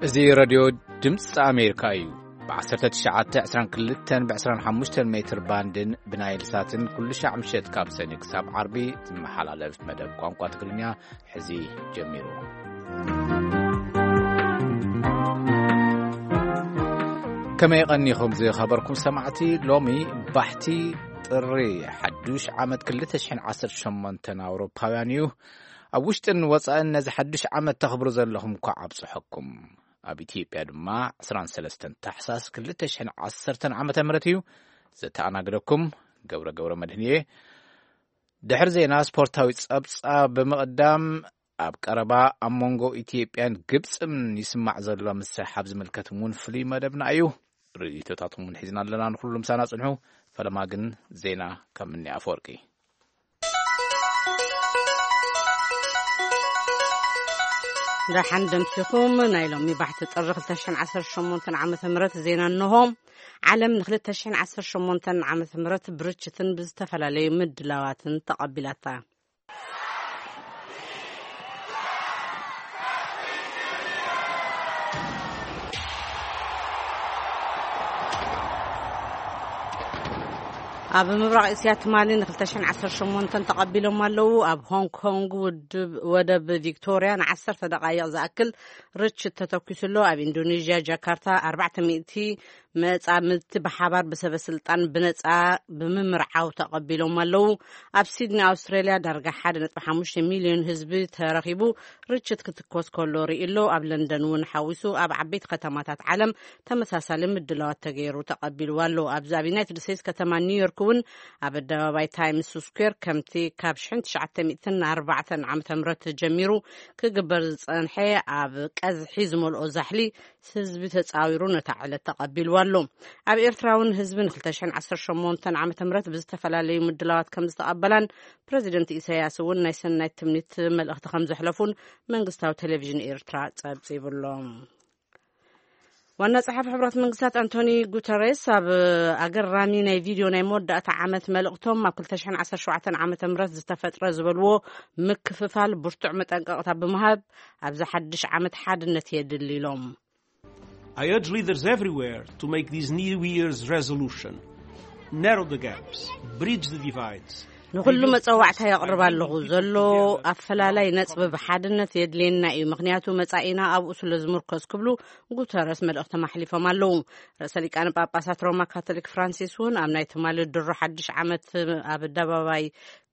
እዚ ሬድዮ ድምፂ ኣሜሪካ እዩ። ብ1922 ብ25 ሜትር ባንድን ብናይል ሳትን ኩሉ ሻዕ ምሸት ካብ ሰኒ ክሳብ ዓርቢ ዝመሓላለፍ መደብ ቋንቋ ትግርኛ ሕዚ ጀሚሩ። ከመይ ቀኒኹም ዝኸበርኩም ሰማዕቲ? ሎሚ ባሕቲ ጥሪ ሓዱሽ ዓመት ክልተ ሽሕን ዓሰርተ ሸሞንተን ኣውሮፓውያን እዩ። ኣብ ውሽጥን ወፃእን ነዚ ሓዱሽ ዓመት ተኽብሩ ዘለኹም እኳ ኣብፅሐኩም። ኣብ ኢትዮጵያ ድማ ዕስራን ሰለስተን ታሕሳስ ክልተ ሽሕን ዓሰርተን ዓመተ ምህረት እዩ። ዘተኣናግደኩም ገብረ ገብረ መድህን እየ። ድሕሪ ዜና ስፖርታዊ ጸብጻብ ብምቕዳም፣ ኣብ ቀረባ ኣብ መንጎ ኢትዮጵያን ግብጽን ይስማዕ ዘሎ ምስሕሓብ ዝምልከት እውን ፍሉይ መደብና እዩ። ርእይቶታትኩም እውን ሒዝና ኣለና። ንኹሉ ምሳና ጽንሑ። ፈለማ ግን ዜና ካብ ምኒ ኣፈወርቂ። ደሓን ደምሲኹም። ናይ ሎሚ ባሕቲ ጥሪ ክልተ ሽሕን ዓሰርተ ሸሞንተን ዓመተ ምህረት ዜና እንሆ። ዓለም ን ክልተ ሽሕን ዓሰርተ ሸሞንተን ዓመተ ምህረት ብርችትን ብዝተፈላለዩ ምድላዋትን ተቐቢላታ። ኣብ ምብራቕ እስያ ትማሊ ን ክልተ ሽሕን ዓሰርተ ሸሞንተን ተቐቢሎም ኣለዉ። ኣብ ሆንግ ኮንግ ውድብ፣ ወደብ ቪክቶርያ ን ዓሰርተ ደቓይቕ ዝኣክል ርችት ተተኲሱ ኣሎ። ኣብ ኢንዶኔዥያ ጃካርታ ኣርባዕተ ሚእቲ መጻምድቲ ብሓባር ብሰበ ስልጣን ብነጻ ብምምርዓው ተቐቢሎም ኣለዉ። ኣብ ሲድኒ ኣውስትራልያ ዳርጋ ሓደ ነጥቢ ሓሙሽተ ሚልዮን ህዝቢ ተረኺቡ ርችት ክትኮስ ከሎ ርኢ ኣሎ። ኣብ ለንደን እውን ሓዊሱ ኣብ ዓበይቲ ከተማታት ዓለም ተመሳሳሊ ምድላዋት ተገይሩ ተቐቢልዋ ኣሎ። ኣብዚ ኣብ ዩናይትድ ስቴትስ ከተማ ኒውዮርክ እውን ኣብ ኣደባባይ ታይምስ ስኩዌር ከምቲ ካብ ሽሕን ትሽዓተ ሚእትን ኣርባዕተን ዓመተ ምህረት ጀሚሩ ክግበር ዝጸንሐ ኣብ ቀዝሒ ዝመልኦ ዛሕሊ ህዝቢ ተጻዊሩ ነታ ዕለት ተቐቢልዋ ኣሎ። ኣብ ኤርትራ እውን ህዝቢ ን ክልተ ሽሕን ዓሰርተ ሸሞንተን ዓመተ ምህረት ብዝተፈላለዩ ምድላዋት ከም ዝተቐበላን ፕረዚደንት ኢሳያስ እውን ናይ ሰናይ ትምኒት መልእኽቲ ከም ዘሕለፉን መንግስታዊ ቴሌቪዥን ኤርትራ ጸብጺቡ ኣሎ። ዋና ጸሓፊ ሕቡራት መንግስታት ኣንቶኒ ጉተሬስ ኣብ ኣገራሚ ናይ ቪድዮ ናይ መወዳእታ ዓመት መልእኽቶም፣ ኣብ ክልተ ሽሕን ዓሰርተ ሸውዓተን ዓመተ ምህረት ዝተፈጥረ ዝበልዎ ምክፍፋል ብርቱዕ መጠንቀቕታ ብምሃብ፣ ኣብዚ ሓድሽ ዓመት ሓድነት የድሊ ኢሎም። I urge leaders everywhere to make this New Year's resolution. Narrow the gaps, bridge the divides. ንኹሉ መጸዋዕታ የቕርብ ኣለኹ። ዘሎ ኣፈላላይ ነጽቢ ብሓድነት የድልየና እዩ፣ ምኽንያቱ መጻኢና ኣብኡ ስለ ዝምርኮስ ክብሉ ጉተረስ መልእኽቶም ኣሕሊፎም ኣለዉ። ርእሰ ሊቃነ ጳጳሳት ሮማ ካቶሊክ ፍራንሲስ እውን ኣብ ናይ ትማሊ ድሮ ሓድሽ ዓመት ኣብ ኣደባባይ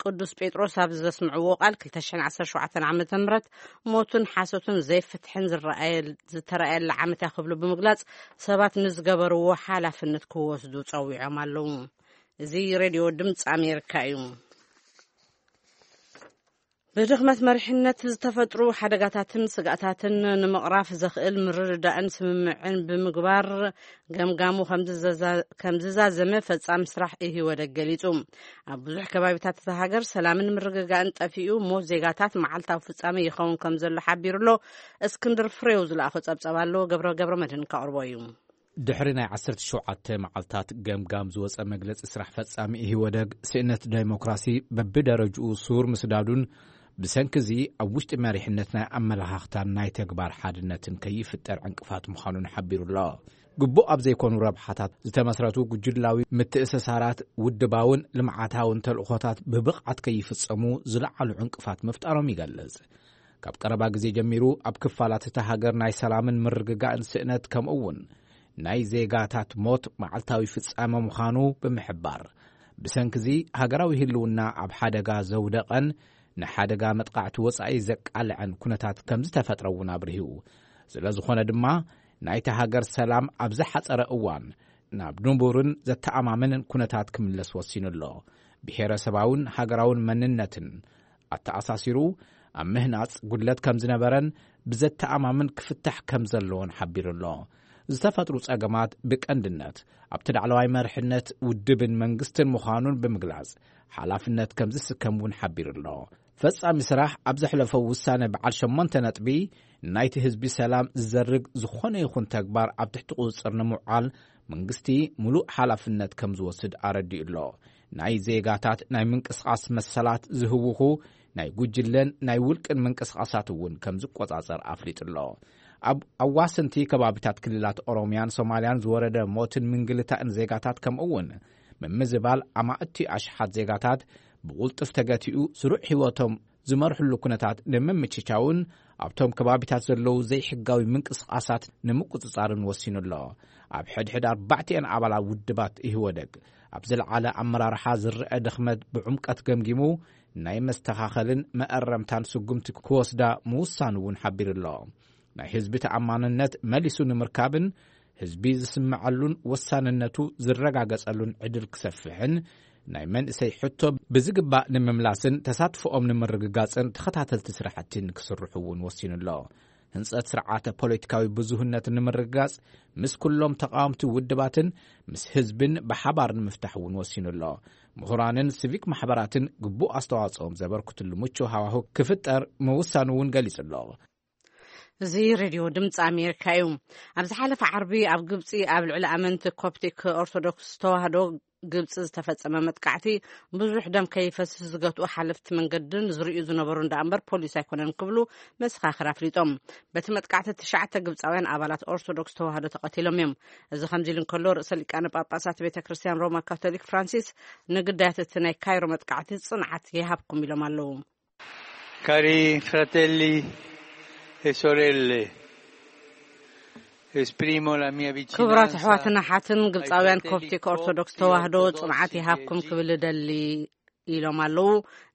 ቅዱስ ጴጥሮስ ኣብ ዘስምዕዎ ቃል፣ ክልተ ሽሕን ዓሰርተ ሸውዓተን ዓመተ ምህረት ሞትን ሓሶትን ዘይፍትሕን ዝረኣየ-፣ ዝተረኣየላ ዓመት እያ ክብሉ ብምግላጽ፣ ሰባት ንዝገበርዎ ሓላፍነት ክወስዱ ጸዊዖም ኣለዉ። እዚ ሬድዮ ድምፂ ኣሜሪካ እዩ። ብድኽመት መሪሕነት ዝተፈጥሩ ሓደጋታትን ስግኣታትን ንምቕራፍ ዘኽእል ምርድዳእን ስምምዕን ብምግባር ገምጋሙ ከም ዝዘዛ-፣ ከም ዝዛዘመ ፈጻሚ ስራሕ ኢህወደግ ገሊጹ። ኣብ ብዙሕ ከባቢታት እታ ሃገር ሰላምን ምርግጋእን ጠፊኡ፣ ሞት ዜጋታት መዓልታዊ ፍጻመ ይኸውን ከም ዘሎ ሓቢሩ ኣሎ። እስክንድር ፍሬው ዝለኣኾ ጸብጸብ ኣሎ፣ ገብረ፣ ገብረ መድህን ከቕርቦ እዩ። ድሕሪ ናይ ዓሰርተ ሸውዓተ መዓልታት ገምጋም ዝወጸ መግለጺ ስራሕ ፈጻሚ ኢህወደግ፣ ስእነት ዴሞክራሲ በብደረጅኡ ስውር ምስዳዱን ብሰንኪ እዚ ኣብ ውሽጢ መሪሕነት ናይ ኣመለኻኽታን ናይ ተግባር ሓድነትን ከይፍጠር ዕንቅፋት ምዃኑን ሓቢሩ ኣሎ። ግቡእ ኣብ ዘይኮኑ ረብሓታት ዝተመስረቱ ጉጅላዊ ምትእስሳራት ውድባውን ልምዓታውን ተልእኾታት ብብቕዓት ከይፍጸሙ ዝለዓሉ ዕንቅፋት ምፍጣሮም ይገልጽ። ካብ ቀረባ ግዜ ጀሚሩ ኣብ ክፋላት እታ ሃገር ናይ ሰላምን ምርግጋእን ስእነት ከምኡ እውን ናይ ዜጋታት ሞት መዓልታዊ ፍጻመ ምዃኑ ብምሕባር፣ ብሰንኪ እዚ ሃገራዊ ህልውና ኣብ ሓደጋ ዘውደቐን ንሓደጋ መጥቃዕቲ ወጻኢ ዘቃልዐን ኩነታት ከም ዝተፈጥረ እውን ኣብሪሁ። ስለ ዝኾነ ድማ ናይታ ሃገር ሰላም ኣብ ዝሓጸረ እዋን ናብ ንቡርን ዘተኣማምንን ኩነታት ክምለስ ወሲኑ ኣሎ። ብሄረሰባውን ሃገራውን መንነትን ኣተኣሳሲሩ ኣብ ምህናጽ ጉድለት ከም ዝነበረን ብዘተኣማምን ክፍታሕ ከም ዘለዎን ሓቢሩ ኣሎ። ዝተፈጥሩ ጸገማት ብቀንድነት ኣብቲ ላዕለዋይ መርሕነት ውድብን መንግስትን ምዃኑን ብምግላጽ፣ ሓላፍነት ከም ዝስከም እውን ሓቢሩ ኣሎ። ፈጻሚ ስራሕ ኣብ ዘሕለፎ ውሳነ በዓል ሸሞንተ ነጥቢ፣ ናይቲ ህዝቢ ሰላም ዝዘርግ ዝኾነ ይኹን ተግባር ኣብ ትሕቲ ቁጽጽር ንምውዓል መንግስቲ ምሉእ ሓላፍነት ከም ዝወስድ ኣረዲኡ ኣሎ። ናይ ዜጋታት ናይ ምንቅስቓስ መሰላት ዝህውኹ ናይ ጉጅለን ናይ ውልቅን ምንቅስቓሳት እውን ከም ዝቆጻጸር ኣፍሊጡ ኣሎ። ኣብ ኣዋሰንቲ ከባቢታት ክልላት ኦሮምያን ሶማልያን ዝወረደ ሞትን ምንግልታእን ዜጋታት፣ ከምኡ እውን ምምዝባል ኣማእቲ ኣሽሓት ዜጋታት ብቕልጡፍ ተገቲኡ፣ ስሩዕ ህይወቶም ዝመርሕሉ ኩነታት ንምምችቻውን ኣብቶም ከባቢታት ዘለዉ ዘይሕጋዊ ምንቅስቓሳት ንምቁጽጻርን ወሲኑ ኣሎ። ኣብ ሕድሕድ ኣርባዕቲኤን ኣባላት ውድባት ኢህወደግ ኣብ ዝለዓለ ኣመራርሓ ዝረአ ድኽመት ብዕምቀት ገምጊሙ፣ ናይ መስተኻኸልን መኣረምታን ስጉምቲ ክወስዳ ምውሳኑ እውን ሓቢሩ ኣሎ። ናይ ህዝቢ ተኣማንነት መሊሱ ንምርካብን ህዝቢ ዝስምዓሉን ወሳንነቱ ዝረጋገጸሉን ዕድል ክሰፍሕን፣ ናይ መንእሰይ ሕቶ ብዝግባእ ንምምላስን ተሳትፎኦም ንምርግጋጽን ተኸታተልቲ ስራሕቲ ንክስርሑ እውን ወሲኑ ኣሎ። ህንጸት ስርዓተ ፖለቲካዊ ብዙህነት ንምርግጋጽ፣ ምስ ኩሎም ተቃወምቲ ውድባትን ምስ ህዝብን ብሓባር ንምፍታሕ እውን ወሲኑ ኣሎ። ምሁራንን ሲቪክ ማሕበራትን ግቡእ ኣስተዋጽኦም ዘበርክትሉ ምቹእ ሃዋህው ክፍጠር ምውሳኑ እውን ገሊጹ ኣሎ። እዚ ሬድዮ ድምፂ ኣሜሪካ እዩ። ኣብ ዝሓለፈ ዓርቢ ኣብ ግብፂ ኣብ ልዕሊ ኣመንቲ ኮፕቲክ ኦርቶዶክስ ተዋህዶ ግብፂ ዝተፈጸመ መጥቃዕቲ ብዙሕ ደም ከይፈስስ ዝገትኡ ሓለፍቲ መንገድን ዝርእዩ ዝነበሩ እንዳ እምበር ፖሊስ ኣይኮነን ክብሉ መሰኻኽር ኣፍሊጦም። በቲ መጥቃዕቲ ትሽዓተ ግብፃውያን ኣባላት ኦርቶዶክስ ተዋህዶ ተቐቲሎም እዮም። እዚ ከምዚ ኢሉ እንከሎ፣ ርእሰ ሊቃነ ጳጳሳት ቤተ ክርስቲያን ሮማ ካቶሊክ ፍራንሲስ ንግዳያት እቲ ናይ ካይሮ መጥቃዕቲ ጽንዓት ይሃብኩም ኢሎም ኣለዉ። Cari fratelli e sorelle, esprimo la mia vicinanza. ክቡራት ኣሕዋትን ኣሓትን ግብፃውያን ኮፕቲክ ኦርቶዶክስ ተዋህዶ ጽንዓት ይሃብኩም ክብል እደሊ ኢሎም ኣለዉ።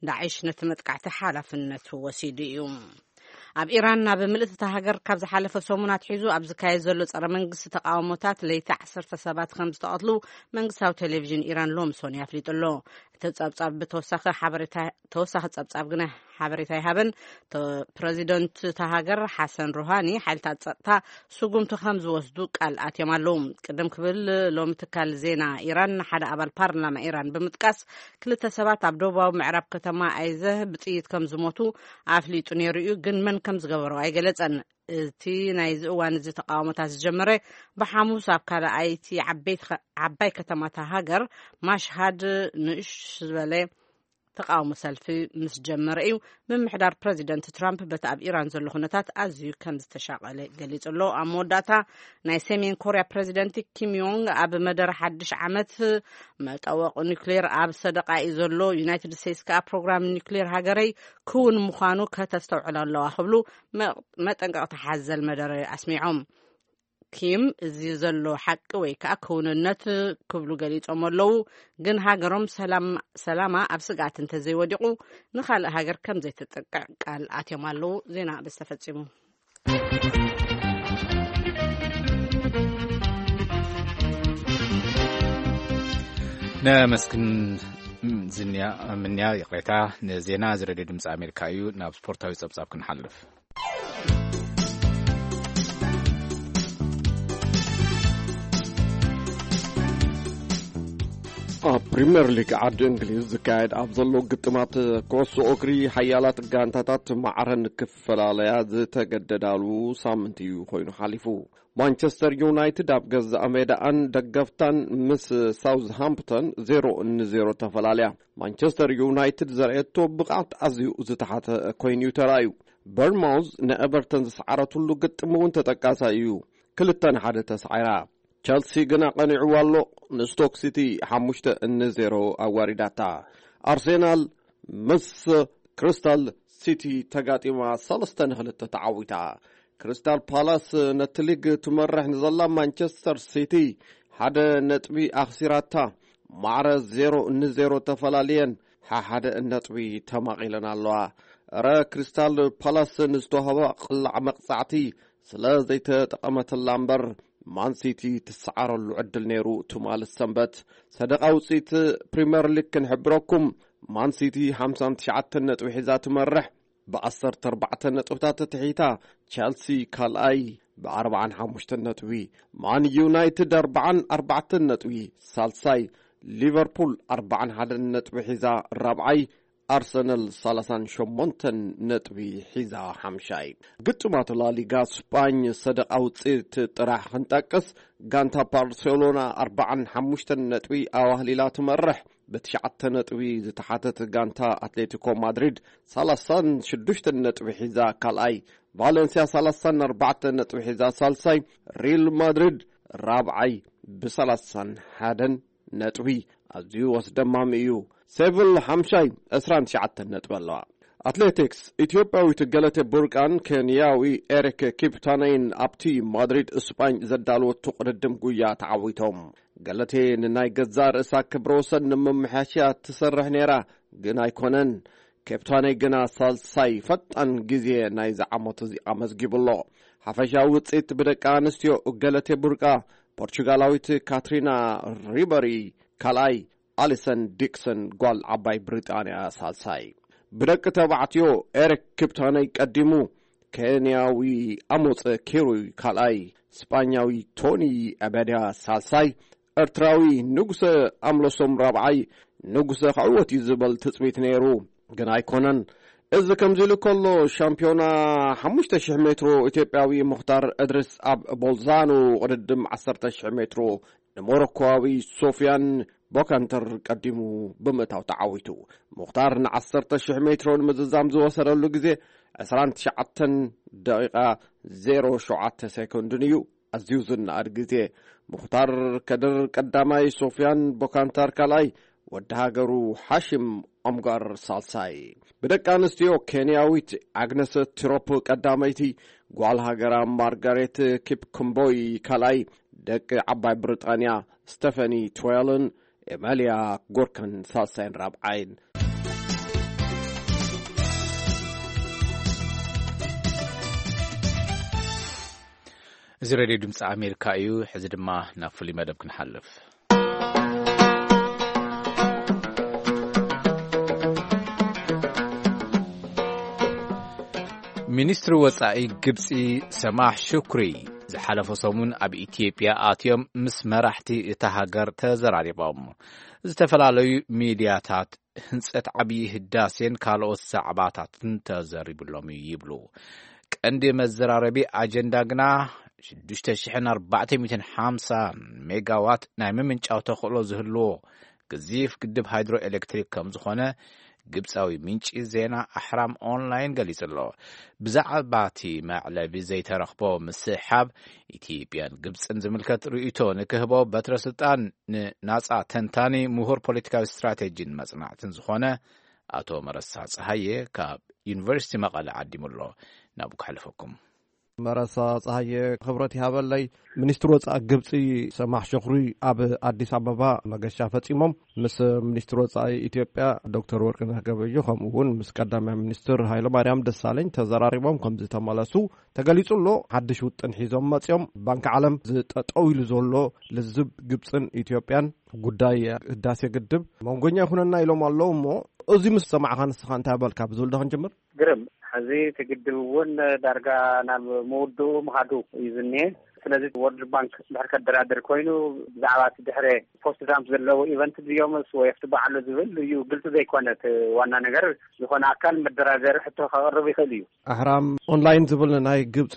ዳዒሽ ነቲ መጥቃዕቲ ሓላፍነቱ ወሲዱ እዩ። ኣብ ኢራን ናብ ምልእቲ እታ ሃገር ካብ ዝሓለፈ ሰሙን ኣትሒዙ ኣብ ዝካየድ ዘሎ ጸረ መንግስቲ ተቃውሞታት ለይቲ ዓሰርተ ሰባት ከም ዝተቐትሉ መንግስታዊ ቴሌቪዥን ኢራን ሎሚ ሰኑይ ኣፍሊጡ ኣሎ። እቲ ጸብጻብ ብተወሳኺ ሓበሬታ ተወሳኺ ጸብጻብ ግና ሓበሬታ ይሃበን። ፕረዚደንት እታ ሃገር ሓሰን ሩሃኒ ሓይልታት ጸጥታ ስጉምቲ ከም ዝወስዱ ቃል ኣትዮም ኣለዉ። ቅድም ክብል ሎሚ ትካል ዜና ኢራን ንሓደ ኣባል ፓርላማ ኢራን ብምጥቃስ ክልተ ሰባት ኣብ ደቡባዊ ምዕራብ ከተማ ኣይዘህ ብጥይት ከም ዝሞቱ ኣፍሊጡ ነይሩ እዩ፣ ግን መን ከም ዝገበሮ ኣይገለጸን። እቲ ናይዚ እዋን እዚ ተቃውሞታት ዝጀመረ ብሓሙስ ኣብ ካልኣይቲ ዓበይቲ ከ- ዓባይ ከተማታ ሃገር ማሽሃድ ንእሽ ዝበለ ተቃውሞ ሰልፊ ምስ ጀመረ እዩ። ምምሕዳር ፕረዚደንት ትራምፕ በቲ ኣብ ኢራን ዘሎ ኩነታት ኣዝዩ ከም ዝተሻቀለ ገሊጹ ኣሎ። ኣብ መወዳእታ ናይ ሰሜን ኮርያ ፕረዚደንት ኪም ዮንግ ኣብ መደረ ሓድሽ ዓመት መጠወቂ ኒክሌር ኣብ ሰደቃ እዩ ዘሎ። ዩናይትድ ስቴትስ ከኣ ፕሮግራም ኒክሌር ሃገረይ ክውን ምዃኑ ከተስተውዕሎ ኣለዋ ክብሉ መጠንቀቕቲ ሓዘል መደረ ኣስሚዖም። ኪም እዚ ዘሎ ሓቂ ወይ ከኣ ክውንነት ክብሉ ገሊጾም ኣለዉ። ግን ሃገሮም ሰላም ሰላማ ኣብ ስግኣት እንተዘይወዲቑ ንኻልእ ሃገር ከም ዘይትጥቅዕ ቃል ኣትዮም ኣለዉ። ዜና በዚ ተፈጺሙ። ነመስግን ዝንያ ምንያ ይቕሬታ ንዜና እዚ ሬድዮ ድምፂ ኣሜሪካ እዩ። ናብ ስፖርታዊ ጸብጻብ ክንሓልፍ። ኣብ ፕሪምየር ሊግ ዓዲ እንግሊዝ ዝካየድ ኣብ ዘሎ ግጥማት ኩዕሶ እግሪ ሓያላት ጋንታታት ማዕረ ንክፈላለያ ዝተገደዳሉ ሳምንት እዩ ኮይኑ ሓሊፉ። ማንቸስተር ዩናይትድ ኣብ ገዛእ ሜዳኣን ደገፍታን ምስ ሳውዝሃምፕተን ዜሮ ንዜሮ ተፈላለያ። ማንቸስተር ዩናይትድ ዘርእየቶ ብቕዓት ኣዝዩ ዝተሓተ ኮይኑ እዩ ተራእዩ። በርማውዝ ንኤቨርተን ዝሰዓረትሉ ግጥም እውን ተጠቃሳይ እዩ። ክልተ ንሓደ ተሳዒራ። ቸልሲ ግና ቀኒዕዋ ኣሎ። ንስቶክ ሲቲ ሓሙሽተ ንዜሮ ኣዋሪዳታ። ኣርሴናል ምስ ክሪስታል ሲቲ ተጋጢማ ሰለስተ ንክልተ ተዓዊታ። ክሪስታል ፓላስ ነቲ ሊግ ትመርሕ ንዘላ ማንቸስተር ሲቲ ሓደ ነጥቢ ኣኽሲራታ። ማዕረ ዜሮ ንዜሮ ተፈላልየን ሓሓደ ነጥቢ ተማቒለን ኣለዋ። እረ ክሪስታል ፓላስ ንዝተዋህባ ቅላዕ መቕጻዕቲ ስለ ዘይተጠቐመትላ እምበር ማንሲቲ ትሰዓረሉ ዕድል ነይሩ። ትማል ሰንበት ሰደቓ ውፅኢት ፕሪምየር ሊግ ክንሕብረኩም። ማንሲቲ ሓምሳን ትሽዓተን ነጥቢ ሒዛ ትመርሕ። ብ14 ነጥብታት ትሒታ። ቸልሲ ካልኣይ ብ45 ነጥቢ። ማን ዩናይትድ 44 ነጥቢ ሳልሳይ። ሊቨርፑል 41 ነጥቢ ሒዛ ራብዓይ። ኣርሰናል 38 ነጥቢ ሒዛ ሓምሻይ። ግጥማት ላሊጋ ስፓኝ ሰደቓ ውፅኢት ጥራሕ ክንጠቅስ፣ ጋንታ ባርሴሎና 45 ነጥቢ ኣዋህሊላ ትመርሕ። ብትሽዓተ ነጥቢ ዝተሓተት ጋንታ ኣትሌቲኮ ማድሪድ 36 ነጥቢ ሒዛ ካልኣይ። ቫለንሲያ ሰላሳን ኣርባዕተን ነጥቢ ሒዛ ሳልሳይ፣ ሪል ማድሪድ ራብዓይ ብ ሰላሳን ሓደን ነጥቢ። ኣዝዩ ኣስደማሚ እዩ። ሴቪል ሓምሻይ ዕስራን ትሽዓተን ነጥቢ ኣለዋ። ኣትሌቲክስ፣ ኢትዮጵያዊት ገለቴ ቡርቃን ኬንያዊ ኤሪክ ኪፕታነይን ኣብቲ ማድሪድ እስጳኝ ዘዳለወቱ ቅድድም ጉያ ተዓዊቶም። ገለቴ ንናይ ገዛእ ርእሳ ክብረ ወሰን ንምምሕያሽ እያ ትሰርሕ ነይራ፣ ግን ኣይኮነን። ኬፕታነይ ግና ሳልሳይ ፈጣን ግዜ ናይዚ ዓመት እዚ ኣመዝጊቡ ኣሎ። ሓፈሻዊ ውጽኢት ብደቂ ኣንስትዮ፣ ገለቴ ቡርቃ ፖርቹጋላዊት ካትሪና ሪበሪ ካልኣይ፣ ኣሊሰን ዲክሰን ጓል ዓባይ ብሪጣንያ ሳልሳይ። ብደቂ ተባዕትዮ ኤሪክ ኪፕታነይ ቀዲሙ፣ ኬንያዊ ኣሞፀ ኪሩይ ካልኣይ፣ ስጳኛዊ ቶኒ ኣበድያ ሳልሳይ፣ ኤርትራዊ ንጉሰ ኣምለሶም ራብዓይ። ንጉሰ ክዕወት እዩ ዝበል ትጽቢት ነይሩ፣ ግን ኣይኮነን። እዚ ከምዚ ኢሉ ከሎ፣ ሻምፒዮና ሓሙሽተ ሽሕ ሜትሮ ኢትዮጵያዊ ሙኽታር እድሪስ ኣብ ቦልዛኖ ቅድድም ዓሰርተ ሽሕ ሜትሮ ንሞሮኮዊ ሶፊያን ቦካንተር ቀዲሙ ብምእታው ተዓዊቱ። ሙኽታር ንዓሰርተ ሽሕ ሜትሮ ንምዝዛም ዝወሰደሉ ግዜ ዕስራን ትሽዓተን ደቂቓ ዜሮ ሸውዓተ ሴኮንድን እዩ። ኣዝዩ ዝነኣድ ግዜ። ሙኽታር ከድር ቀዳማይ፣ ሶፊያን ቦካንታር ካልኣይ፣ ወዲ ሃገሩ ሓሽም ኦምጋር ሳልሳይ። ብደቂ ኣንስትዮ፣ ኬንያዊት ኣግነስ ቲሮፕ ቀዳመይቲ፣ ጓል ሃገራ ማርጋሬት ኪፕኩምቦይ ካልኣይ፣ ደቂ ዓባይ ብሪጣንያ ስቴፈኒ ትዌልን ኤመልያ ጎርከን ሳልሳይን ራብዓይን። እዚ ሬድዮ ድምፂ ኣሜሪካ እዩ። ሕዚ ድማ ናብ ፍሉይ መደብ ክንሓልፍ። ሚኒስትሪ ወጻኢ ግብጺ ሰማሕ ሹክሪ ዝሓለፈ ሰሙን ኣብ ኢትዮጵያ ኣትዮም ምስ መራሕቲ እታ ሃገር ተዘራሪቦም። ዝተፈላለዩ ሚድያታት ህንጸት ዓብዪ ህዳሴን ካልኦት ዛዕባታትን ተዘሪብሎም እዩ ይብሉ። ቀንዲ መዘራረቢ ኣጀንዳ ግና ሽዱሽተ ሽሕን ኣርባዕተ ሚእትን ሓምሳን ሜጋዋት ናይ ምምንጫው ተኽእሎ ዝህልዎ ግዚፍ ግድብ ሃይድሮ ኤሌክትሪክ ከም ዝኾነ ግብጻዊ ምንጪ ዜና ኣሕራም ኦንላይን ገሊጹ ኣሎ። ብዛዕባ እቲ መዕለቢ ዘይተረኽቦ ምስሕሓብ ኢትዮጵያን ግብጽን ዝምልከት ርእይቶ ንክህቦ በትረ ስልጣን ንናጻ ተንታኒ ምሁር ፖለቲካዊ ስትራቴጂን መጽናዕትን ዝኾነ ኣቶ መረሳ ጸሃየ ካብ ዩኒቨርሲቲ መቐለ ዓዲሙ ኣሎ። ናብኡ ከሕልፈኩም። መረሳ ጸሃየ፣ ክብረት ይሃበለይ። ሚኒስትሪ ወጻኢ ግብጺ ሰማሕ ሸኹሪ ኣብ ኣዲስ ኣበባ መገሻ ፈጺሞም። ምስ ሚኒስትሪ ወጻኢ ኢትዮጵያ ዶክተር ወርቅነህ ገበየሁ፣ ከምኡ እውን ምስ ቀዳማይ ሚኒስትር ሃይለማርያም ደሳለኝ ተዘራሪቦም ከም ዝተመለሱ ተገሊጹ ኣሎ። ሓድሽ ውጥን ሒዞም መጺኦም። ባንኪ ዓለም ዝጠጠው ኢሉ ዘሎ ልዝብ ግብጽን ኢትዮጵያን ጉዳይ ህዳሴ ግድብ መንጎኛ ይኹነና ኢሎም ኣለዉ። እሞ እዚ ምስ ሰማዕኻ ንስኻ እንታይ በልካ? ብዝብል ዶ ክንጅምር? ግርም፣ ሕዚ እቲ ግድብ እውን ዳርጋ ናብ ምውድኡ ምኻዱ እዩ ዝኒሄ። ስለዚ ወርልድ ባንክ ድሕር ከደራድር ኮይኑ፣ ብዛዕባ እቲ ድሕረ ፖስት ዳምፕ ዘለዎ ኢቨንት ድዮምስ ወይ ኣብቲ በዓሉ ዝብል እዩ ግልፂ ዘይኮነ። እቲ ዋና ነገር ዝኾነ ኣካል መደራደሪ ሕቶ ከቕርብ ይኽእል እዩ። ኣሕራም ኦንላይን ዝብል ናይ ግብፂ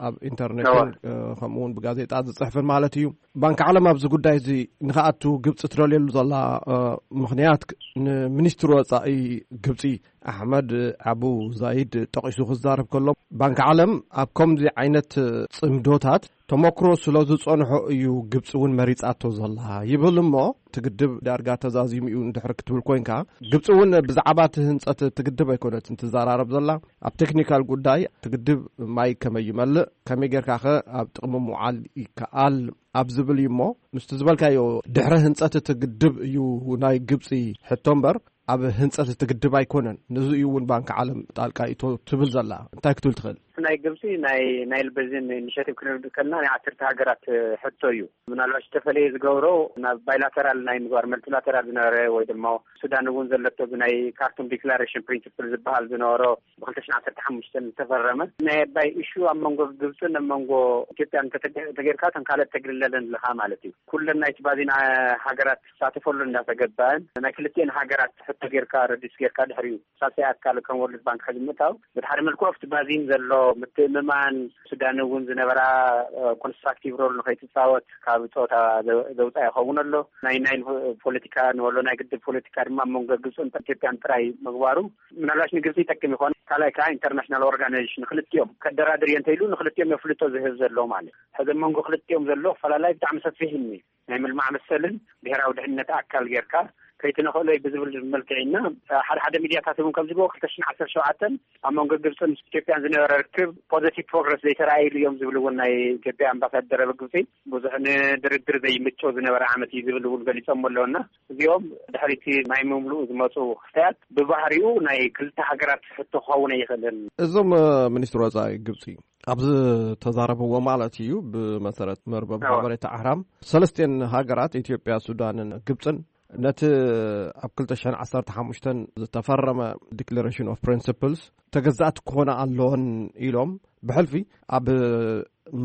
ኣብ ኢንተርኔትን፣ እወ። እ፣ ከምኡ እውን ብጋዜጣ ዝፅሕፍን ማለት እዩ። ባንክ ዓለም ኣብዚ ጉዳይ እዚ ንክኣቱ ግብፂ ትደልየሉ ዘላ፣ እ፣ ምኽንያት፣ ንሚኒስትሪ ወፃኢ ግብፂ ኣሕመድ ኣቡ ዛይድ ጠቒሱ ክዛረብ ከሎ፣ ባንክ ዓለም ኣብ ከምዚ ዓይነት ጽምዶታት ተመክሮ ስለ ዝጸንሖ እዩ ግብጺ እውን መሪጻቶ ዘላ ይብል። እሞ እቲ ግድብ ዳርጋ ተዛዚሙ እዩ እንድሕር ክትብል ኮይንካ፣ ግብጺ እውን ብዛዕባ እቲ ህንጸት እቲ ግድብ ኣይኮነትን ትዘራረብ ዘላ። ኣብ ቴክኒካል ጉዳይ እቲ ግድብ ማይ ከመይ ይመልእ፣ ከመይ ጌርካ ኸ ኣብ ጥቕሚ ምውዓል ይከኣል ኣብ ዝብል እዩ። እሞ ምስቲ ዝበልካዮ ድሕረ ህንጸት እቲ ግድብ እዩ ናይ ግብጺ ሕቶ እምበር፣ ኣብ ህንጸት እቲ ግድብ ኣይኮነን። ነዚ እዩ እውን ባንክ ዓለም ጣልቃ ይእቶ ትብል ዘላ። እንታይ ክትብል ትኽእል? ናይ ግብጺ ናይ ናይል ቤዚን ኢኒሼቲቭ ክንብል ከለና ናይ ዓሰርተ ሃገራት ሕቶ እዩ። ምናልባት ዝተፈለየ ዝገብሮ ናብ ባይላተራል ናይ ምግባር፣ መልቲላተራል ዝነበረ ወይ ድማ ሱዳን እውን ዘለቶ ብናይ ካርቱም ዲክላሬሽን ፕሪንሲፕል ዝበሃል ዝነበሮ ብክልተ ሽሕን ዓሰርተ ሓሙሽተን ዝተፈረመ ናይ ኣባይ ኢሹ ኣብ መንጎ ግብጽን ኣብ መንጎ ኢትዮጵያን እንተተገ-፣ ተጌርካ እተን ካልኦት ተግልለለን ኣለኻ ማለት እዩ። ኩለን ናይቲ ባዚን ሃገራት ክሳተፈሉ እንዳተገባእን ናይ ክልቲኤን ሃገራት ሕቶ ጌርካ ረዲስ ጌርካ ድሕሪኡ ሳልሳይ ኣካል ከም ወርልድ ባንክ ሕዚ ምእታው ብድሓሪ መልክዑ ኣብቲ ባዚን ዘሎ ምትእምማን፣ ሱዳን እውን ዝነበራ ኮንስትራክቲቭ ሮል ንኸይትፃወት ካብ ፀወታ ዘውፃ ይኸውን ኣሎ። ናይ ናይል ፖለቲካ ንወሎ ናይ ግድብ ፖለቲካ ድማ ኣብ መንጎ ግብፅን ኢትዮጵያን ጥራይ ምግባሩ ምናልባሽ ንግብፂ ይጠቅም ይኾን። ካልኣይ ከዓ ኢንተርናሽናል ኦርጋናይዜሽን ንክልቲኦም ከደራድር እየ እንተኢሉ ንክልቲኦም የፍልጦ ዝህብ ዘሎ ማለት ሕዚ ኣብ መንጎ ክልቲኦም ዘሎ ፈላላይ ብጣዕሚ ሰፊሕ እዩ። ናይ ምልማዕ መሰልን ብሄራዊ ድሕነት ኣካል ጌርካ ከይትነኽእሎ እዩ ብዝብል መልክዕ ኢና። ሓደ ሓደ ሚድያታት እውን ከም ዝብዎ ክልተ ሽሕን ዓሰርተ ሸውዓተን ኣብ መንጎ ግብፅን ኢትዮጵያን ዝነበረ ርክብ ፖዘቲቭ ፕሮግረስ ዘይተረኣይሉ እዮም ዝብል እውን ናይ ኢትዮጵያ ኣምባሳደር ኣብ ግብፂ ብዙሕ ንድርድር ዘይምቸው ዝነበረ ዓመት እዩ ዝብል እውን ገሊፆም ኣለውና። እዚኦም ድሕሪቲ ናይ ምምልኡ ዝመፁ ክስተያት ብባህሪኡ ናይ ክልተ ሃገራት ሕቶ ክኸውን ኣይኽእልን። እዞም ሚኒስትር ወፃኢ ግብፂ ኣብዚ ተዛረብዎ ማለት እዩ። ብመሰረት መርበብ ሓበሬታ ኣህራም ሰለስቴን ሃገራት ኢትዮጵያ፣ ሱዳንን ግብፅን ነቲ ኣብ ክልተ ሽሕን ዓሰርተ ሓሙሽተን ዝተፈረመ ዲክለሬሽን ኦፍ ፕሪንስፕልስ ተገዛእቲ ክኾና ኣለወን ኢሎም ብሕልፊ ኣብ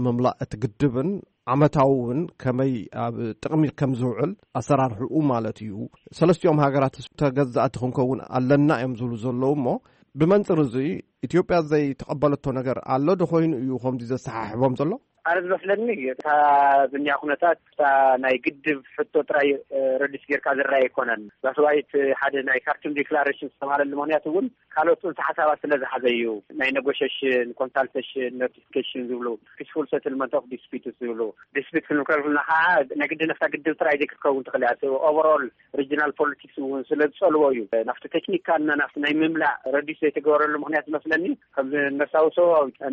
ምምላእ እቲ ግድብን ዓመታዊ እውን ከመይ ኣብ ጥቕሚ ከም ዝውዕል ኣሰራርሕኡ ማለት እዩ። ሰለስቲኦም ሃገራት ተገዛእቲ ክንከውን ኣለና እዮም ዝብሉ ዘለዉ እሞ ብመንፅር እዚ ኢትዮጵያ ዘይተቐበለቶ ነገር ኣሎ ዶ ኮይኑ እዩ ከምዚ ዘሰሓሕቦም ዘሎ? ኣነ ዝመስለኒ እታ ዝኒያ ኩነታት እታ ናይ ግድብ ሕቶ ጥራይ ረዲስ ጌርካ ዝረኣ ኣይኮነን። ዛስዋይት ሓደ ናይ ካርቱም ዲክላሬሽን ዝተባሃለሉ ምክንያት እውን ካልኦት ፅንሰ ሓሳባት ስለ ዝሓዘ እዩ። ናይ ኔጎሽሽን፣ ኮንሳልቴሽን፣ ኖቲፊኬሽን ዝብሉ፣ ፒስፉል ሰትልመንት ኦፍ ዲስፒትስ ዝብሉ፣ ዲስፒት ክንከልኩልና ከዓ ናይ ግዲ ነፍታ ግድብ ጥራይ ዘይክትከውን ትኽእል እያ። ኦቨርኦል ሪጅናል ፖለቲክስ እውን ስለ ዝፀልዎ እዩ። ናብቲ ቴክኒካልና ናብቲ ናይ ምምላእ ረዲስ ዘይተገበረሉ ምክንያት መስለኒ ከምዚ ነሳውሶ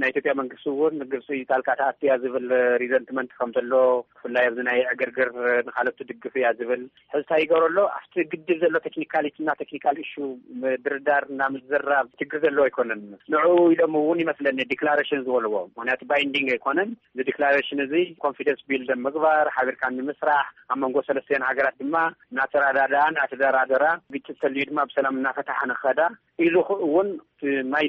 ናይ ኢትዮጵያ መንግስቲ እውን ግብፂ ጣልቃ ተኣትያ ዝብል ሪዘንትመንት ከም ዘሎ ብፍላይ ኣብዚ ናይ ዕግርግር ንካለት ትድግፍ እያ ዝብል ሕዝታ ይገብረሎ ኣብቲ ግድብ ዘሎ ቴክኒካሊቲ እና ቴክኒካል ኢሹ ምድርዳር እና ምዝራብ ችግር ዘለዎ ኣይኮነን። ንዑ ኢሎም እውን ይመስለኒ ዲክላሬሽን ዝበልዎ ምክንያቱ ባይንዲንግ ኣይኮነን። እዚ ዲክላሬሽን እዚ ኮንፊደንስ ቢልድ ምግባር ሓቢርካ ንምስራሕ ኣብ መንጎ ሰለስቲያን ሃገራት ድማ እናተረዳዳኣ እናተደራደራ ግጭት ተልዩ ድማ ብሰላም እናፈታሓ ንኸዳ ኢሉ እውን ማይ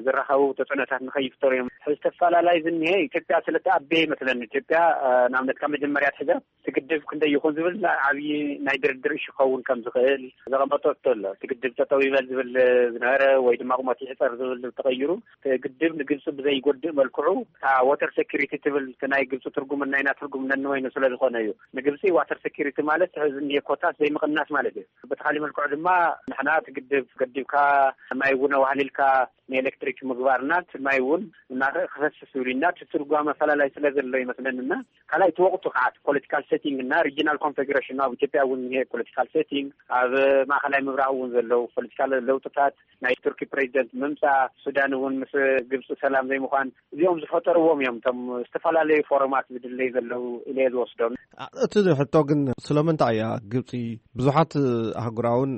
ዝረኸቡ ተፅዕኖታት ንኸይፍጠሩ እዮም። ዝተፈላላይ ዝኒሀ ኢትዮጵያ ስለተኣበየ ይመስለኒ። ኢትዮጵያ ንኣብነት ካብ መጀመርያ ትሕዘ ትግድብ ክንደይ ይኹን ዝብል ዓብዪ ናይ ድርድር እሹ ክኸውን ከም ዝኽእል ዘቐመጦ ኣሎ። ትግድብ ጠጠው ይበል ዝብል ዝነበረ ወይ ድማ ቁመት ይሕፀር ዝብል ተቐይሩ ግድብ ንግብፂ ብዘይጎድእ መልክዑ እታ ዋተር ሴኩሪቲ ትብል ናይ ግብፂ ትርጉምን ናይና ትርጉም ነንወይኑ ስለ ዝኾነ እዩ። ንግብፂ ዋተር ሴኩሪቲ ማለት ሕዚ እንዲየ ኮታስ ዘይምቕናስ ማለት እዩ። በቲ ካሊእ መልክዑ ድማ ንሕና እቲ ግድብ ገዲብካ ማይ እውን ኣዋህሊልካ ንኤሌክትሪክ ምግባርና እቲ ማይ እውን እናረእ ክፈስስ ዝብልና እቲ ትርጓመ ፈላላይ ስለ ዘሎ ይመስለንና። ካልኣይ እቲ ወቅቱ ከዓ ፖለቲካል ሴቲንግ እና ሪጂናል ኮንፌግሬሽን ኣብ ኢትዮጵያ እውን ኒሄ ፖለቲካል ሴቲንግ ኣብ ማእኸላይ ምብራቅ እውን ዘለዉ ፖለቲካል ለውጥታት ናይ ቱርኪ ፕሬዚደንት ምምፃእ ሱዳን እውን ምስ ግብፂ ሰላም ዘይምኳን እዚኦም ዝፈጠርዎም እዮም እቶም ዝተፈላለዩ ፎረማት ዝድለዩ ዘለዉ ኢለ ዝወስዶም። እቲ ሕቶ ግን ስለምንታይ እያ ግብፂ ብዙሓት ኣህጉራውን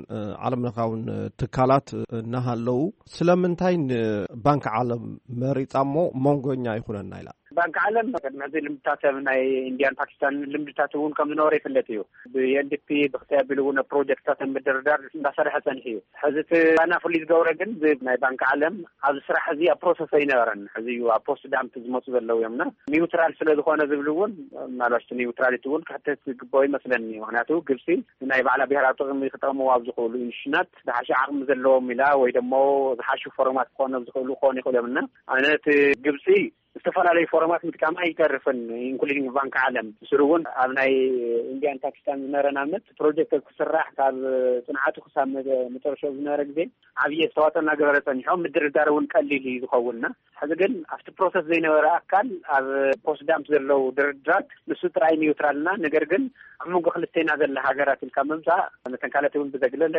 ዓለም ለኻውን ትካላት እናሃለዉ ስለምንታይ ንባንክ ዓለም መሪፃ እሞ መንጎኛ ይኹነና ኢላ? ባንክ ዓለም ቅድሚ ሕዚ ልምድታት ናይ ኢንዲያን ፓኪስታን ልምድታት እውን ከም ዝነበረ ይፍለጥ እዩ። ብኤንዲፒ ብክተይ ኣቢሉ እውን ፕሮጀክትታት ምድርዳር እንዳሰርሐ ፀኒሑ እዩ። ሕዚ እቲ ና ፍሉይ ዝገብረ ግን ናይ ባንክ ዓለም ኣብዚ ስራሕ እዚ ኣብ ፕሮሰስ ኣይነበረን። ሕዚ እዩ ኣብ ፖስት ዳምፕ ዝመፁ ዘለዉ እዮም እና ኒውትራል ስለ ዝኾነ ዝብል እውን ምናልባሽ ኒውትራሊቲ እውን ክሕተት ዝግበኦ ይመስለኒ። ምክንያቱ ግብፂ ናይ ባዕላ ብሄራዊ ጥቕሚ ክጠቕምዋ ኣብ ዝኽእሉ ኢንሽናት ዝሓሸ ዓቕሚ ዘለዎም ኢላ ወይ ደሞ ዝሓሹ ፎረማት ክኾኑ ዝኽእሉ ክኾኑ ይኽእሉ እዮም እና ኣነ እቲ ግብፂ ዝተፈላለዩ ፎረማት ምጥቃማ ኣይተርፍን ኢንክሉዲንግ ባንክ ዓለም ብስሩ እውን ኣብ ናይ ኢንዲያን ፓኪስታን ዝነበረ ናምነት ፕሮጀክት ክስራሕ ካብ ፅንዓቱ ክሳብ መጨረሻ ዝነበረ ግዜ ዓብዪ ኣስተዋፅኦ እናገበረ ፀኒሖም ምድርዳር እውን ቀሊል እዩ ዝኸውንና ሕዚ ግን ኣብቲ ፕሮሰስ ዘይነበረ ኣካል ኣብ ፖስት ዳምፕ ዘለዉ ድርድራት ንሱ ጥራይ ኒውትራልና ነገር ግን ኣብ መንጎ ክልተና ዘለ ሃገራት ኢልካ ምምፃእ መተን ካልኦት እውን ብዘግለለ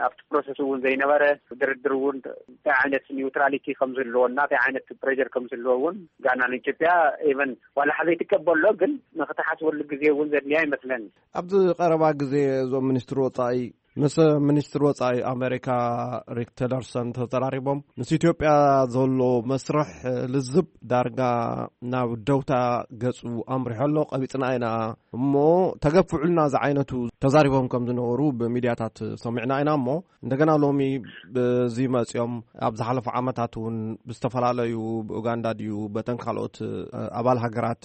ኣብቲ ፕሮሰስ እውን ዘይነበረ ድርድር እውን እንታይ ዓይነት ኒውትራሊቲ ከም ዝህልዎ እና እንታይ ዓይነት ፕሬር ከም ዝህልዎ እውን ጋና ንኢትዮጵያ ኢቨን ዋላ ሓዘይ ትቀበሎ ግን ንክተሓስበሉ ግዜ እውን ዘድልያ ይመስለኒ። ኣብዚ ቀረባ ግዜ እዞም ሚኒስትር ወፃኢ ምስ ሚኒስትር ወፃኢ ኣሜሪካ ሪክ ቲለርሰን ተዘራሪቦም ምስ ኢትዮጵያ ዘሎ መስርሕ ልዝብ ዳርጋ ናብ ደውታ ገፁ ኣምሪሖ ኣሎ ቀቢፅና ኢና እሞ ተገፍዑልና ዝዓይነቱ ተዛሪቦም ከም ዝነበሩ ብሚድያታት ሰሚዕና ኢና እሞ እንደገና ሎሚ ብዚ መፅኦም ኣብ ዝሓለፉ ዓመታት እውን ብዝተፈላለዩ ብኡጋንዳ ድዩ በተን ካልኦት ኣባል ሃገራት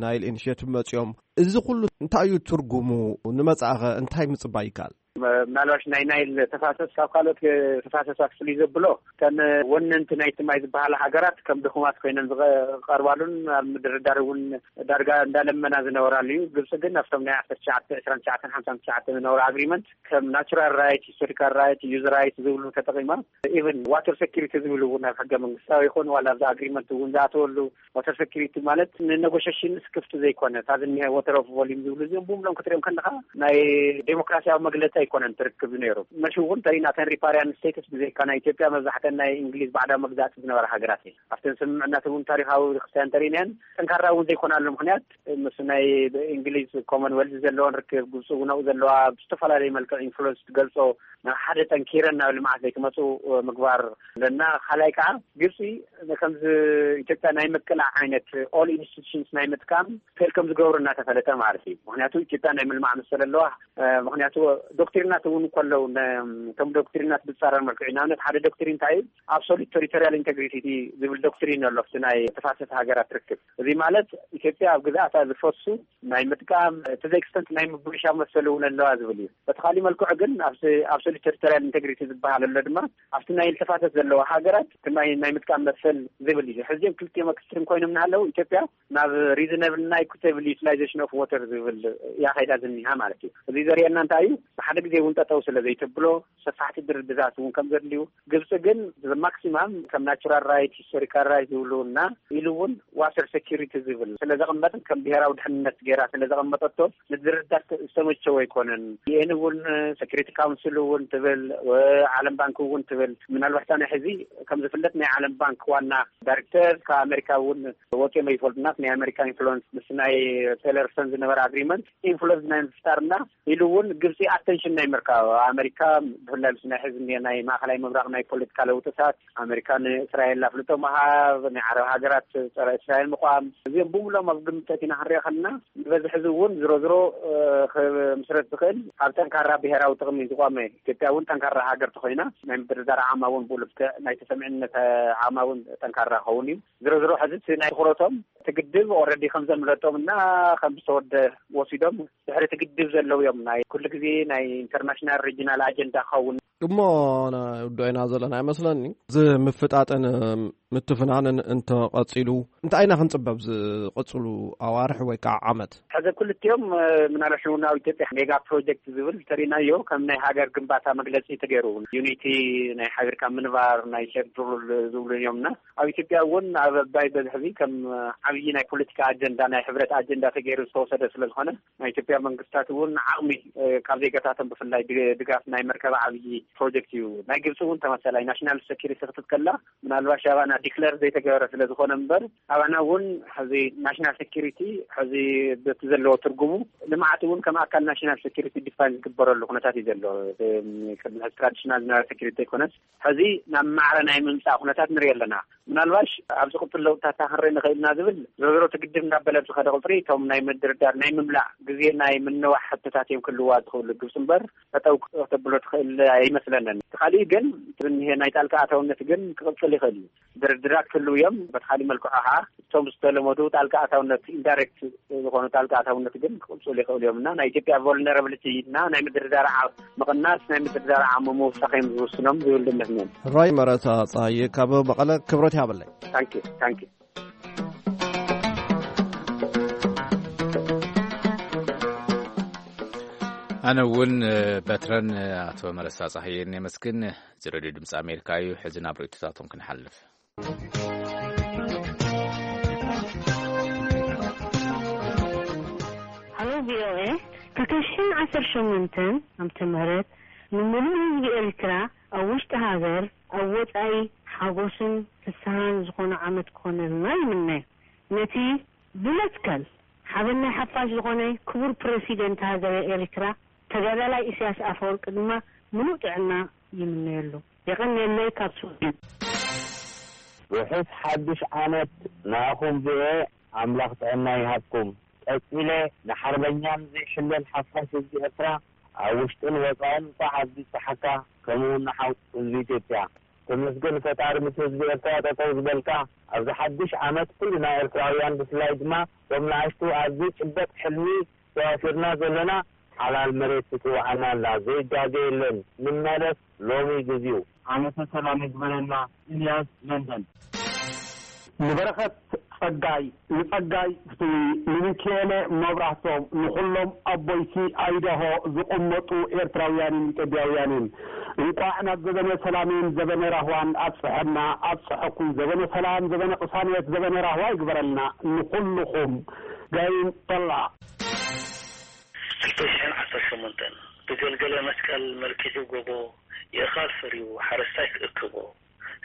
ናይል ኢኒሽቲቭ መፅኦም እዚ ኩሉ እንታይ እዩ ትርጉሙ? ንመፃእኸ እንታይ ምፅባይ ይከኣል? ምናልባሽ ናይ ናይል ተፋሰስ ካብ ካልኦት ተፋሰሳት ፍልይ ዘብሎ፣ ከን ወነንቲ ናይቲ ማይ ዝበሃላ ሃገራት ከም ድኹማት ኮይነን ዝቐርባሉን ኣብ ምድርዳር እውን ዳርጋ እንዳለመና ዝነበራሉ እዩ። ግብፂ ግን ኣብቶም ናይ ዓሰርተ ትሽዓተ ዕስራን ትሽዓተን ሓምሳን ትሽዓተን ዝነበሩ ኣግሪመንት ከም ናቹራል ራይት፣ ሂስቶሪካል ራይት፣ ዩዝ ራይት ዝብሉ ተጠቒማ። ኢቨን ዋተር ሴኪሪቲ ዝብሉ እውን ኣብ ሕገ መንግስታዊ ይኹን ዋላ ኣብዚ ኣግሪመንት እውን ዝኣተወሉ፣ ዋተር ሴኪሪቲ ማለት ንነጎሸሽን ስክፍቲ ዘይኮነ፣ እታ ዝኒሀ ወተር ኦፍ ቮሊም ዝብሉ እዚኦም ብምሎም ክትሪኦም ከለካ ናይ ዴሞክራሲያዊ መግለፂ ኣይኮነን ትርክብ ነይሩ። መሽ እውን ተሪና ተን ሪፓሪያን ስቴትስ ብዘይካ ናይ ኢትዮጵያ መብዛሕተን ናይ እንግሊዝ ባዕዳዊ መግዛእቲ ዝነበራ ሃገራት እየን። ኣብተን ስምምዕናት እውን ታሪካዊ ክስታያን ተሪናየን ጠንካራ እውን ዘይኮናሉ ምክንያት ምስ ናይ እንግሊዝ ኮመንዌልዝ ዘለዎን ርክብ፣ ግብፂ እውን ኣብኡ ዘለዋ ብዝተፈላለዩ መልክዕ ኢንፍሉንስ ትገልፆ ናብ ሓደ ጠንኪረን ናብ ልምዓት ዘይክመፁ ምግባር ኣለና። ካልኣይ ከዓ ግብፂ ከምዚ ኢትዮጵያ ናይ ምቅላዕ ዓይነት ኦል ኢንስቲቱሽንስ ናይ ምጥቃም ፌል ከም ዝገብሩ እናተፈለጠ ማለት እዩ። ምክንያቱ ኢትዮጵያ ናይ ምልማዕ መሰል ኣለዋ። ምክንያቱ ዶክትሪናት እውን ከለው እቶም ዶክትሪናት ብፃረር መልክዑ፣ ንኣብነት ሓደ ዶክትሪን እንታይ እዩ? ኣብሶሉት ቴሪቶሪያል ኢንቴግሪቲ ዝብል ዶክትሪን ኣሎ ኣብቲ ናይ ተፋሰስ ሃገራት ርክብ። እዚ ማለት ኢትዮጵያ ኣብ ግዝኣታ ዝፈሱ ናይ ምጥቃም፣ to the extent ናይ ምብሻ መሰል እውን ኣለዋ ዝብል እዩ። በቲ ካሊእ መልክዑ ግን ኣብቲ ኣብሶሉት ቴሪቶሪያል ኢንቴግሪቲ ዝበሃል ኣሎ ድማ ኣብቲ ናይ ተፋሰስ ዘለዋ ሃገራት እቲ ማይ ናይ ምጥቃም መሰል ዝብል እዩ። ሕዚኦም ክልቲኦም ኤክስትሪም ኮይኖም እናሃለዉ ኢትዮጵያ ናብ ሪዝነብል እና ኢኩቴብል ዩቲላይዜሽን ኦፍ ዋተር ዝብል እያ ከይዳ ዝኒሃ ማለት እዩ። እዚ ዘርእየና እንታይ እዩ? ብሓደ ግዜ እውን ጠጠው ስለ ዘይተብሎ ሰፋሕቲ ድርድራት እውን ከም ዘድልዩ፣ ግብፂ ግን ማክሲማም ከም ናቹራል ራይት፣ ሂስቶሪካል ራይት ዝብሉ እና ኢሉ እውን ዋተር ሴኪሪቲ ዝብል ስለ ዘቐመጥን ከም ብሄራዊ ድሕንነት ገይራ ስለ ዘቐመጠቶ ንድርድራት ዝተመቸወ ኣይኮነን። ዩኤን እውን፣ ሴኪሪቲ ካውንስል እውን ትብል፣ ዓለም ባንክ እውን ትብል። ምናልባት ናይ ሕዚ ከም ዝፍለጥ ናይ ዓለም ባንክ ዋና ዳይሬክተር ካብ ኣሜሪካ እውን ወፂኦም ኣይፈልጡና። ናይ ኣሜሪካ ኢንፍሉንስ ምስ ናይ ቴለርሰን ዝነበረ ኣግሪመንት ኢንፍሉንስ ናይ ምፍጣርና ኢሉ እውን ግብፂ ኣቴንሽን ናይ ምርካብ ኣሜሪካ ብፍላይ ምስ ናይ ሕዚ ናይ ማእኸላይ ምብራቕ ናይ ፖለቲካ ለውጥታት ኣሜሪካ ንእስራኤል ኣፍልጦ ምሃብ፣ ናይ ዓረብ ሃገራት ጸረ እስራኤል ምቋም፣ እዚኦም ብምሎም ኣብ ግምት ኣእቲና ክንሪኦ ከለና ንበዝሒ እዚ እውን ዝሮ ዝሮ ክምስረት ዝኽእል ኣብ ጠንካራ ብሄራዊ ጥቕሚ ዝቆመ ኢትዮጵያ እውን ጠንካራ ሃገር ተኮይና ናይ ምድርዳር ዓማ እውን ብኡ ልክዕ ናይ ተሰሚዕነት ዓማ እውን ጠንካራ ክኸውን እዩ። ዝሮ ዝሮ ሕዚ እቲ ናይ ትኩረቶም እቲ ግድብ ኦልሬዲ ከም ዘምለጦም እና ከም ዝተወደ ወሲዶም ድሕሪ እቲ ግድብ ዘለዉ እዮም ናይ ኩሉ ግዜ ናይ ኢንተርናሽናል ሪጂናል ኣጀንዳ ክኸውን እሞ ንውድኦ ኢና ዘለና ይመስለኒ። እዚ ምፍጣጥን ምትፍናንን እንተቐጺሉ እንታይ ኢና ክንጽበ ኣብ ዝቕጽሉ ኣዋርሕ ወይ ከዓ ዓመት? ሕዚ ክልቲኦም ምናልባሽ እውን ኣብ ኢትዮጵያ ሜጋ ፕሮጀክት ዝብል እንተሪእናዮ ከም ናይ ሃገር ግንባታ መግለፂ ተገይሩ ዩኒቲ ናይ ሓቢርካ ምንባር ናይ ሼርድ ሩል ዝብሉ እዮም እና ኣብ ኢትዮጵያ እውን ኣብ ኣባይ በዝሕዚ ከም ዓብዪ ናይ ፖለቲካ ኣጀንዳ ናይ ሕብረት ኣጀንዳ ተገይሩ ዝተወሰደ ስለዝኾነ ናይ ኢትዮጵያ መንግስታት እውን ዓቕሚ ካብ ዜጋታቶም ብፍላይ ድጋፍ ናይ መርከብ ዓብዪ ፕሮጀክት እዩ። ናይ ግብፂ እውን ተመሳላይ ናሽናል ሴኪሪቲ ክትትከላ ምናልባሽ ኣባና ዲክለር ዘይተገበረ ስለዝኾነ እምበር ኣባና እውን ሕዚ ናሽናል ሴኪሪቲ ሕዚ በቲ ዘለዎ ትርጉሙ ልምዓት እውን ከም ኣካል ናሽናል ሴኪሪቲ ዲፋይን ዝግበረሉ ኩነታት እዩ ዘሎ። ቅድሚ ሕዚ ትራዲሽናል ናሽናል ሴኪሪቲ ኣይኮነስ ሕዚ ናብ ማዕረ ናይ ምምፃእ ኩነታት ንርኢ ኣለና። ምናልባሽ ኣብ ዝቕፅል ለውጥታት ክንርኢ ንኽእል ኢና ዝብል ዝሮ ዝሮ እቲ ግድብ እናበለ ብዝኸደ ቁፅሪ እቶም ናይ ምድርዳር ናይ ምምላእ ግዜ ናይ ምንዋሕ ሕቶታት እዮም ክህልዋ ዝኽእሉ ግብፂ እምበር ጠጠው ከተብሎ ትኽእል ኣይመስለንን። እቲ ካሊእ ግን ዝኒሀ ናይ ጣልቃ ኣታውነት ግን ክቕፅል ይኽእል እዩ። ድርድራት ክህልው እዮም። በቲ ካሊእ መልክዑ ከዓ እቶም ዝተለመዱ ጣልቃ ኣታውነት ኢንዳይሬክት ዝኾኑ ጣልቃ ኣታውነት ግን ክቕፅሉ ይኽእሉ እዮም እና ናይ ኢትዮጵያ ቮልነራብሊቲ እና ናይ ምድርዳር ዓቕሚ ምቕናስ ናይ ምድርዳር ዓቕሚ ምውሳኽ እዮም ዝውስኖም ዝብል እምነት እኒአኒ። ሮይ መረሳ ፀሃየ ካብ መቐለ ክብረት ይሃበለይ። ታንኪ ታንኪ። ኣነ እውን በትረን ኣቶ መረሳ ፀሃየን የመስግን። እዚ ሬድዮ ድምፂ ኣሜሪካ እዩ። ሕዚ ናብ ርእይቶታቶም ክንሓልፍ። ሃሎ ቪኦኤ፣ ክልተ ሽሕን ዓሰርተ ሸሞንተን ዓመተ ምህረት ንምሉእ ህዝቢ ኤርትራ ኣብ ውሽጢ ሃገር ኣብ ወጻኢ ሓጎስን ፍስሃን ዝኾነ ዓመት ክኾነልና ይምነ። ነቲ ብመትከል ሓበን ናይ ሓፋሽ ዝኾነ ክቡር ፕረሲደንት ሃገረ ኤርትራ ተጋዳላይ ኢሳያስ ኣፈወርቂ ድማ ምሉእ ጥዕና ይምነየሉ። የቐንየለይ ካብ ስዊድን። ርሑስ ሓድሽ ዓመት ንኣኹም ቪኦኤ ኣምላኽ ጥዕና ይሃብኩም። ቀጺለ ንሓርበኛን ዘይሕለል ሓፋሽ ህዝቢ ኤርትራ ኣብ ውሽጥን ወጻእን እንኳዕ ኣብዚብጽሓካ ከምኡውን ንሓው ህዝቢ ኢትዮጵያ። ተመስገን ፈጣሪ ምስ ህዝቢ ኤርትራ ጠጠው ዝበልካ ኣብዚ ሓድሽ ዓመት ኩልና ኤርትራውያን ብፍላይ ድማ እቶም ንኣሽቱ ኣብ ዘይጭበጥ ሕልሚ ተዋፊርና ዘለና ሓላል መሬት ትጽውዓና ኣላ። ዘይጋገ የለን። ንመለስ፣ ሎሚ ግዜኡ። ዓመተ ሰላም ይግበረልና። ኢልያስ ለንደን። ንበረኸት ጸጋይ፣ ንጸጋይ ፍትዊ፣ ንሚኪኤለ መብራህቶም፣ ንኹሎም ኣብ ቦይሲ ኣይዳሆ ዝቕመጡ ኤርትራውያንን ኢትዮጵያውያንን፣ እንቋዕ ናብ ዘበነ ሰላምን ዘበነ ራህዋን ኣብጽሐና፣ ኣብጽሐኩም። ዘበነ ሰላም፣ ዘበነ ቅሳነት፣ ዘበነ ራህዋ ይግበረልና ንኹልኹም። ጋይም ጠላ። ክልተ ሽሕን ዓሰርተ ሸሞንተን፣ ብገልገለ መስቀል መልኪዑ ጎቦ፣ የእኻል ፈርዩ ሓረስታይ ክእክቦ፣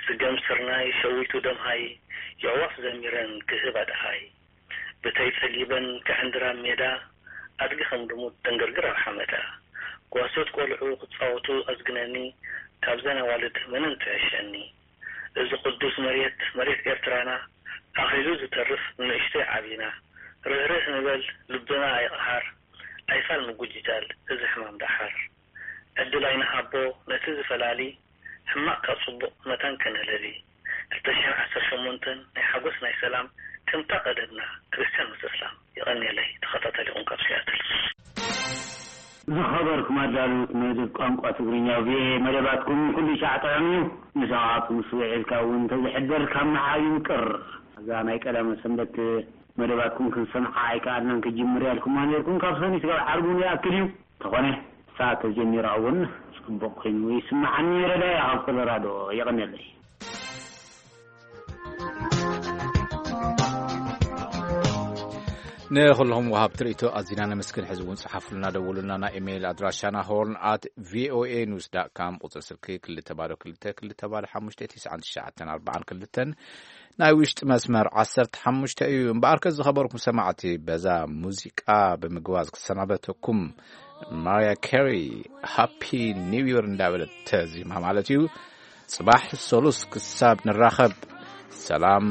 ስገም ስርናይ ሸዊቱ ደምሃይ፣ የዕዋፍ ዘሚረን ክህብ ኣድሃይ፣ ብተይ ጸጊበን ክዕንድራ ኣብ ሜዳ፣ ኣድጊ ከም ልሙድ ተንገርግር ኣብ ሓመዳ፣ ጓሶት ቆልዑ ክጻወቱ ኣዝግነኒ፣ ካብዘን ኣዋልድ መነን ትዕሸኒ። እዚ ቅዱስ መሬት፣ መሬት ኤርትራና፣ ኣኺሉ ዝተርፍ ንንእሽቶይ ዓቢና፣ ርህርህ ንበል ልብና ኣይቕሃር፣ ኣይፋል ምጉጅጃል እዚ ሕማም ደሓር። ዕድል ኣይንሃቦ ነቲ ዝፈላሊ፣ ሕማቕ ካብ ጽቡቕ መታን ከነለሊ። ክልተ ሽሕን ዓሰርተ ሸሞንተን ናይ ሓጎስ ናይ ሰላም፣ ከምታ ቀደምና ክርስትያን ምስ እስላም። የቐንየለይ ተኸታታሊኹም ካብ ሲያትል። ዝኸበርኩም ኣዳለውት መደብ ቋንቋ ትግርኛ ቪኦኤ፣ መደባትኩም ኩሉ ሻዕ ጥዑም እዩ። ምሳኻትኩም ስውዒልካ እውን እንተዝሕደር ካብ ምሓ ይምቅር። እዛ ናይ ቀዳመ ሰንበት መደባትኩም ክንሰምዓ ኣይከኣልናን። ክጅምር ያልኩማ ነርኩም፣ ካብ ሰኒ ስጋብ ዓርቡ ይኣክል እዩ። ተኾነ ሰዓት ተጀሚራ እውን ጽቡቕ ኮይኑ ይስምዓኒ። ረዳያ ካብ ኮሎራዶ። የቐንየለይ። ንኹልኹም ወሃብቲ ርእይቶ ኣዚና ነመስግን። ሕዚ እውን ጸሓፉልና፣ ደውሉልና። ናይ ኢሜይል ኣድራሻና ሆርን ኣት ቪኦኤ ኒውስ ዳት ካም፣ ቁጽሪ ስልኪ ክልተ ባዶ ክልተ ክልተ ባዶ ሓሙሽተ ትሽዓን ትሽዓተን ኣርባዓን ክልተን፣ ናይ ውሽጢ መስመር ዓሰርተ ሓሙሽተ እዩ። እምበኣርከ ዝኸበርኩም ሰማዕቲ፣ በዛ ሙዚቃ ብምግባዝ ክሰናበተኩም፣ ማርያ ኬሪ ሃፒ ኒው ይር እንዳበለት ተዚማ ማለት እዩ። ጽባሕ ሰሉስ ክሳብ ንራኸብ፣ ሰላም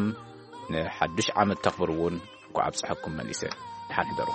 ንሓድሽ ዓመት ተኽብሩ እውን እንኳዕ ኣብጽሐኩም መሊሰ። ደሓን ሕደሩ።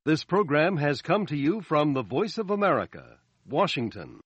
This program has come to you from the Voice of America, Washington.